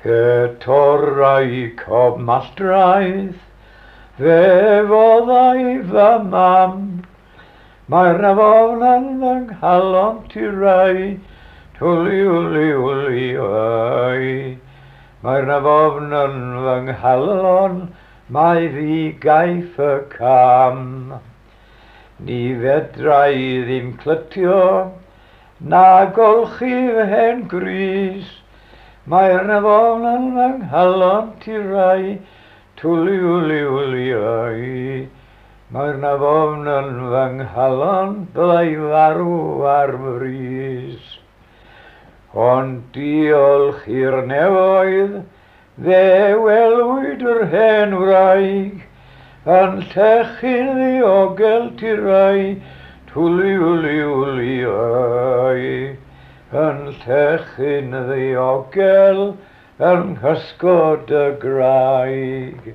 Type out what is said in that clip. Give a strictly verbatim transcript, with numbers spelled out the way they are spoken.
Pe torrai cob Malltraeth, fe foddai fy mam. Mae'r afon yn fy nghalon tirai, twli wli wli oi. Mae'r afon yn fy nghalon, mai fi gaiff y cam. Ni fedrai ddim clytio, na golchi fy hen grys. Mae'r afon yn fy nghalon tirai, twli wli wli oi. Mae'r afon yn fy nghalon, byddai farw ar frys. Ond diolch i'r nefoedd, fe welwyd yr hen wraig, yn llechu'n ddiogel tirai, twli wli wli oi. Yn llechu'n ddiogel yng nghysgod y graig.